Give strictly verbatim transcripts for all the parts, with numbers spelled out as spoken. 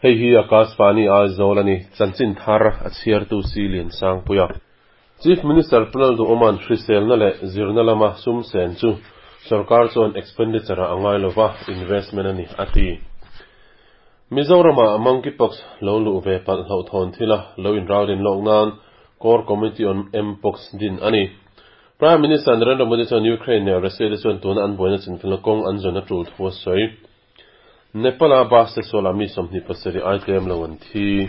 Hei hi Akashvani Aizawl ani chanchin thar a chhiartu si lian sang puia. Chief Minister Pu Lalduhoma'n hriselna leh zirna lama sum sen chu sarkar chuan expenditure a angai lova investment ani a ti. Mizorama monkeypox lo luh ve palh hloh thawn thila lo inralrin lawk nan Core Committee on Mpox din ani. Prime Minister Narendra Modi chuan Ukraine leh Russia te chuan tuna an buaina chinfilna kawng an zawn a tul thu a sawi. Nepal a bus te sualah mi sawmhnih pasarih ai tlem lo an thi.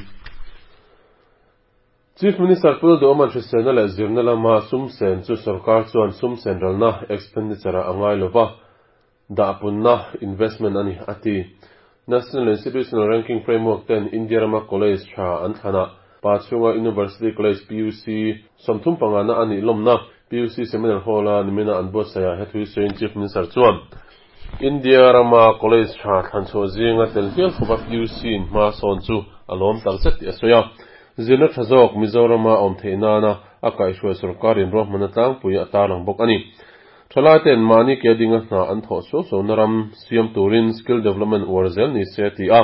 Chief Minister Pu Lalduhoma'n hriselna leh zirna lama sum sen chu sarkar chuan sum sen ralna expenditure a angai lova dahpunna investment ani a ti. National Institutional Ranking Framework ten India rama college tha an thlanah pa chhunga University College P U C sawmthum pangana ani lawmna P U C Seminar Hall a nimina an buatsaih hethui sawiin Chief Minister chuan India rama college tha thlan chhuah zinga tel hial khawpa P U C in hma sawn chu a lawm tak zet tih a sawi a. Zirna tha zawk Mizorama awm theih nana a kaihhruai sarkarin ruahmanna tlangpui a tarlang bawk ani. Thalai ten mahni ke dinga hna an thawh suau suau ram siam turin skill development uar zel ni se ti a.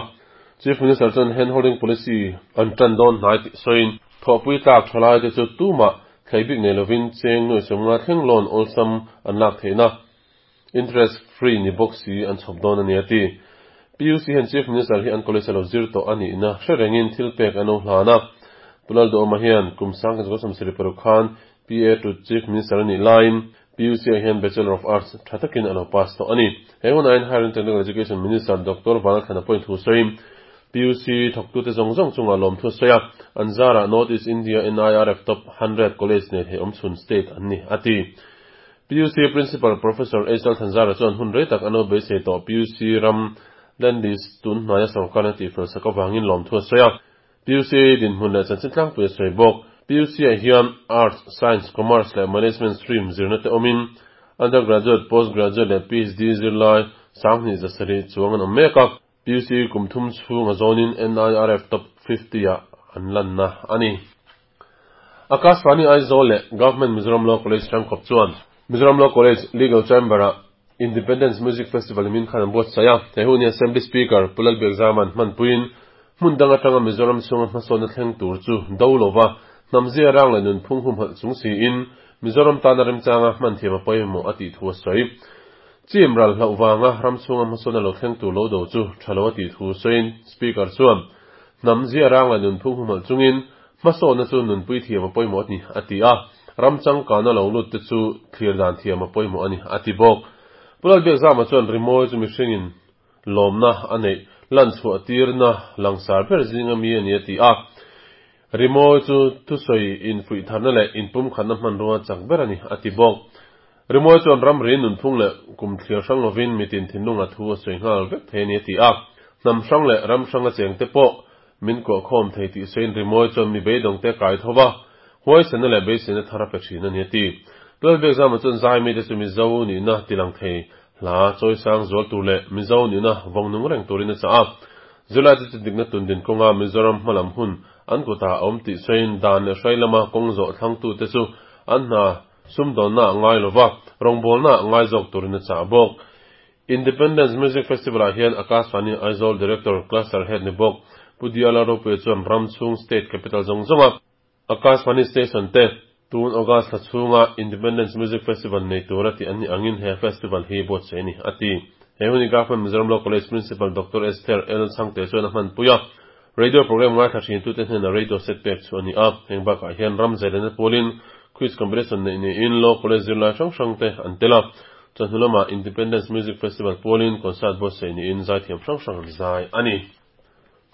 Chief Minister chuan handholding policy an tan dawn hnai tih sawiin thawhpui tlak thalai te chu tumah thleibik nei lovin cheng nuai sawmnga thleng loan awlsam an lak theihna interest free ni bawk si an chhawp dawn ani a ti. P U C hian Chief Minister hi an college alo zir tawh ani na hre rengin thil pek an lo hlan a. Pu Lalduhoma hian kum sang ka sawm sarih paruk khan P A to Chief Minister ani laiin P U C hian Bachelor of Arts tha takin alo pass tawh ani. He hunain Higher and Technical Education Minister Doctor Vanlalthlana point thu sawiin P U C thawktu te zawng zawng chunga lawm thu sawi a. An zara North East India N I R F Top hundred College nei thei awm chhun state an ni a ti. P U C Principal Professor H L Thanzara chuan hun rei tak ano beisei tawh P U C ram landis tun hnaia sarkar na tih fel sak awangin lawm thu sawi a. P U C din hmun leh chanchin tlangpui a sawi bawk. P U C ah hian Arts, Science, Commerce leh Management stream zirna te awmin undergraduate, postgraduate leh P H D zirlai sanghnih zasarih chuang an awm mek a. P U C kum thum chhung a zawnin N I R F Top fifty ah an lanna ani. Akashvani Aizawl leh Government Mizoram Law College Tangkawp chuan Mizoram Law College Legal Chamber ah Independence Music Festival min khan an buatsaih a. He hun hi Assembly Speaker Pu Lalbiakzama'n hmanpuiin hmun dang atanga Mizoram chhunga hmasawnna thleng tur chu do lova hnamzia rang leh nunphung hum halh chung siin Mizoram tana remchanga hman thiam a pawimawh a tih thu a sawi. Chim ral hloh wanga ram chhunga hmasawnna lo thleng tur lo do chu tha lo a tih thu sawiin Speaker chuan hnamzia rang leh nunphung hum halh chungin hmasawnna chu nunpui thiam a pawimawh ani a ti a. Ram changkana lo lut te chu thlir dan thiam a pawimawh ani a ti bawk. Pu Lalbiakzama chuan rimawi chu mihringin lawmna a neih lan chhuah tirna langsar ber zinga mi ani a ti a. Rimawi chu thusawi in fuih tharna leh inpum khatna hmanrua chak ber ani a ti bawk. Rimawi chuan ram ri nunphung leh kum thlir hrang lovin mitin thinlung a thu a sawi nghal vek thei ani a ti a. Hnam hrang leh ram hrang a cheng te pawh min kuah khawm thei tih sawiin rimawi chuan mi beidawng te kai thova huaisena leh beiseina thar a pe thin ani a ti. Pu Lalbiakzama chuan zai mi te chu Mizo nihna tilang thei hla chawisang zual tur leh Mizo nihna vawngnung reng turin a chah a. Zirlai te chu dikna tundin kawnga Mizoram hmalam hun an kutah a awm tih sawiin dan leh hrai lama kawng zawh thlangtu te chu an hna sumdawnna a ngai lova rawngbawlna a ngai zawk turin a chah bawk. Independence Music Festival ah hian Akashvani Aizawl Director Cluster Head ni bawk Pu Diala Ropui chuan ram chhung State Capital zawng zawnga Akashvani Station te tun August thla chhunga Independence Music Festival nei tura tih an ni angin he festival hi buatsaih ani a ti. He huni Government Mizoram Law College Principal Doctor Esther L Chhangte chuan a hmanpui a. Radio program ngai thla thin tu te hnena radio set pek chu ani a. Heng bakah hian ram zailena pawlin quiz competition nei niin Law College zirlai hrang hrang te an tel a. Chawhnu lama Independence Music Festival pawlin concert buatsaih niin zai thiam hrang hrang an zai ani.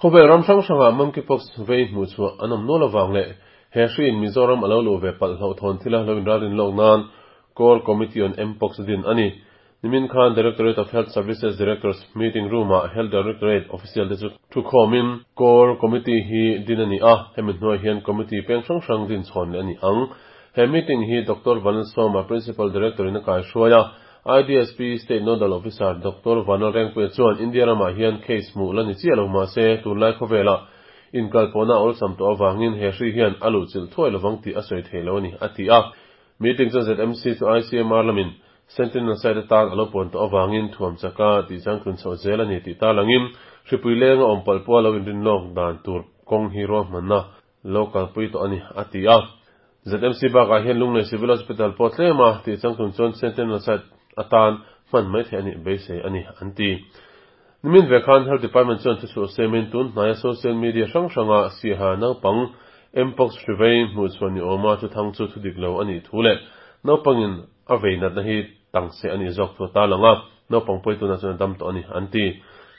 Khawvel ram hrang hranga monkeypox vei hmuh chhuah an awm nual awang leh he hriin Mizoram alo luh ve palh hloh thawn thila lo inralrin lawk nan Core Committee on Mpox din ani. Nimin khan Directorate of Health Services Directors Meeting Room ah Health Directorate official te chu thu khawmin Core Committee hi din ani a. Hemi hnuai hian committee peng hrang hrang din chhawn leh ani ang. He meeting hi Doctor Vanlalsawma Principal Director in a kai hruai a. I D S P State Nodal Officer Doctor Vanlalrengpuia chuan India ramah hian case hmuh la ni chiah lo mahse tunlai khawvelah inkalpawhna awlsam tawh awangin he hri hian a luh chilh thuai lovang tih a sawi thei lo ani a ti a. Meeting chuan Z M C chu I C M R lamin Sentinel site atan alo pon to awangin thuam chaka ti chang tun chho zel ani ti ta langin hripui lenga awm pal pawh lo in rin lawk dan tur kawng hi ro hmanna local pui to ani ati a Z M C bak ah hian Lunglei Civil Hospital pawh tlema ti chang tun chuan Sentinel site atan hman mai thei ani beisei ani anti Nimin vekhan Health Department chuan thu chu semin tun hnaia social media hrang hranga siha naupang Mpox hrivei hmuh chuan ni awma chu thang chu thu dik lo ani thu le naupangin a vei natna hi tang se ani zawk thu ta langa naupang pawih tuna chuan dam to ani anti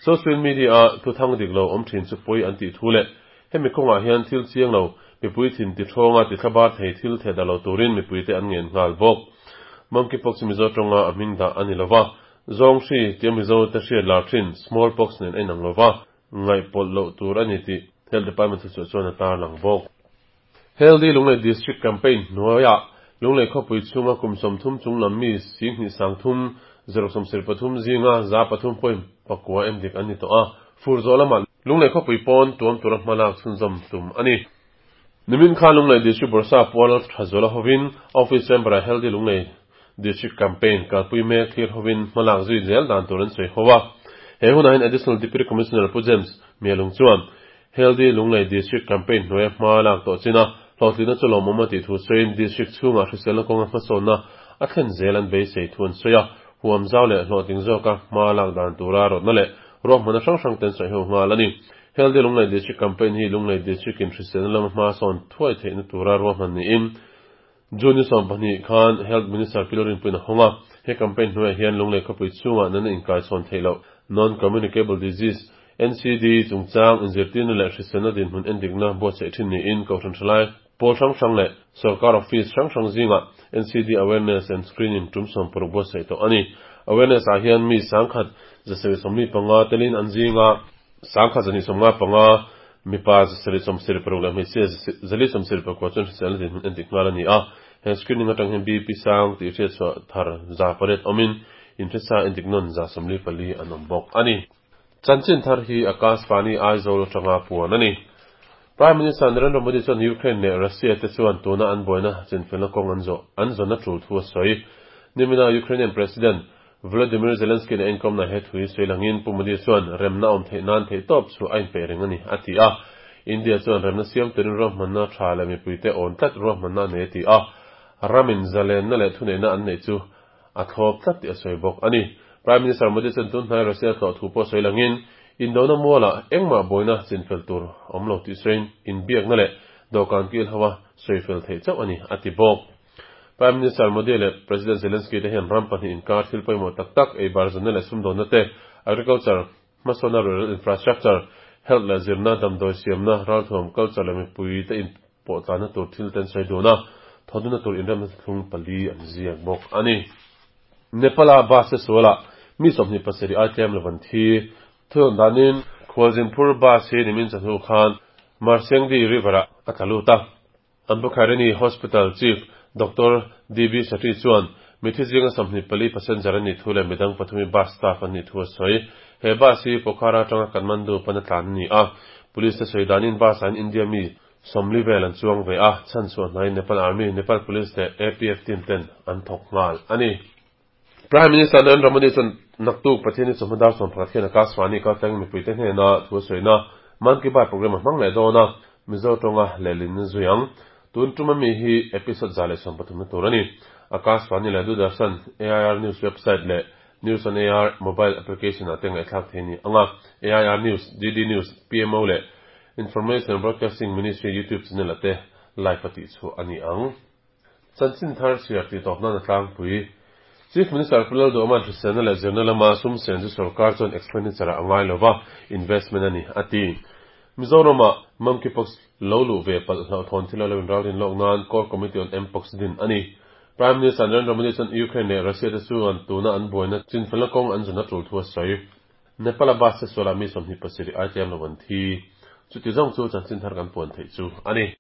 social media a thu thang dik lo awm thin chu pawih anti thu le hemi kawngah hian thil chiang lo mipui thin ti thawnga ti thlabar thei thil the da lo turin mipui te an ngen nghal bawk monkeypox mizo tonga a hming dah ani lova zong hri tia mizo te hriat lar thin smallpox nen a inang lova ngaih pawlh loh tur ani tih Health Department chu chuan a tar lang bawk Healthy Lunglei District Campaign hnuaiah Lunglei khawpui chhunga kum sawmthum chung lam mi singhnih sangthum zero sawm sir pathum zinga za pathum point pakua en dik an ni tawh a fur zawh lamah Lunglei khawpui pawn tuam tura hmalak chhunzawm tum ani Nimin khan Lunglei District Bursa pual Thazuala hovin Office Chamber a Healthy Lunglei District Campaign kalpui mek thlir hovin hmalak zui zel dan tur an sawi ho a he hunah hian Additional Deputy Commissioner Pu James Mielung chuan Healthy Lunglei District Campaign hnuaia hmalak tawh china hlawhtlina chu lawmawm a tih thu sawiin district chhungah hriselna kawnga hmasawnna a thlen zel an beisei thu an sawi a huam zau leh hlawhtling zawka hmalak dan tura rawtna leh ruahmanna hrang hrang ten sawi ho nghal ani Healthy Lunglei District Campaign hi Lunglei District in hriselna lama hmasawn thuai theihna tura ruahman niin June sawm pahnih khan Health Minister Pilorin puin a hawnga he campaign hnuaiah hian Lunglei khawpui chhungah nana inkai chhawn theih loh non-communicable disease N C D chungchang inzirtirna leh hriselna dinhmun endikna buatsaih thin niin kohhran thalai pawl hrang hrang leh sarkar office hrang hrang zinga N C D awareness and screening tum sawm paruk buatsaih tawh ani awareness ah hian mi sangkhat zasarih sawmli panga telin an zinga sangkhat zani sawmnga panga mipa zasarih sawmsarih paruk leh hmeichhia zali sawmsarih pakua chuan hriselna dinhmun endik nghal ani a he screening atang hian B P sang tih hriat chhuah thar za pariat awmin inhresa endik nawn za sawmli pali an awm bawk ani Chanchin thar hi Akashvani Aizawl atanga puan ani Prime Minister Narendra Modi chuan Ukraine leh Russia te chuan tuna an buaina chinfelna kawng an zawh an zawna tul thu a sawi nimina Ukrainian President Volodymyr Zelensky na inkomna he thui sawi langin Pu Modi chuan remna awm theih nan theih tawp chu a inpeih reng ani a ti a India chuan remna siam turin ruahmanna tha leh mipuite awn tlat ruahmanna a nei a ti a ramin zalenna leh thuneihna an neih chu a thlawp tlat tih a sawi bawk ani Prime Minister Modi chuan tun hnai Russia tlawh thu pawh sawi langin indona muala engmah buaina chinfel tur awm lo tih sawiin inbiakna leh dawhkan kil hawa sawifel theih chauh ani a ti bawk Prime Minister Modi leh President Zelensky te hian ram pahnih inkar thil pawimawh tak tak ei bar zawnna leh sumdawnna te agriculture hmasawnna rural infrastructure health leh zirna damdawi siamna ralthuam culture leh mipui te in pawh tlanna tur thil ten sawi dun a thawduna tur inremna thlung pali an ziak bawk ani Nepal a bus se suala mi sawmhnih pasarih ai tlem lovan thi thun danin Khualzinphur bus hi nimin chahnu khan Marsengdi River a a tlaluta Ambukharini Hospital Chief Doctor D B Shetty chuan mithi zinga sawmhnih pali passenger ani thu leh midang pathumi bus staff ani thu a sawi he bus hi Pokhara atanga Kathmandu pana tlan ani a police te sawi danin bus an India mi sawmli vel an chuang ve a chan chuan hnai Nepal Army Nepal Police leh A P F team ten an thawk nghal ani Prime Minister Narendra Modi chuan naktuk Pathian ni chawhma dar sawm pakhat khian Akashvani kaltlang mipui te hnena thu a sawina Mann Ki Baat program a hmang leh dawn a Mizo tawnga lehlin zui ang tun tuma mi hi episode za leh sawm pathum na tur ani Akashvani leh Doordarshan A I R News website leh News on A I R mobile application ah te ngaihthlak thei ni anga A I R News D D News P M O leh Information Broadcasting Ministry YouTube channel ate live a tih chu ani ang Chanchin thar siar ti tawp nan a tlangpui Chief Minister Pulal Duhman hriselna leh zirna lama sum sen chu sarkar chuan expenditure a ngai lova investment ani ati Mizoram-ah monkeypox lo lu ve palh hlauh thawn thil a lo in ralrin lawk nan Core Committee on Mpox din ani Prime Minister Narendra Modi chuan Ukraine leh Russia te chuan tuna an buaina chinfelna kawng an zawna tul thu a sawi Nepal a bus se suala mi sawmhnih pasarih ai tlem lo an thi chuti zawng chu chanchin thar kan puan theih chu ani.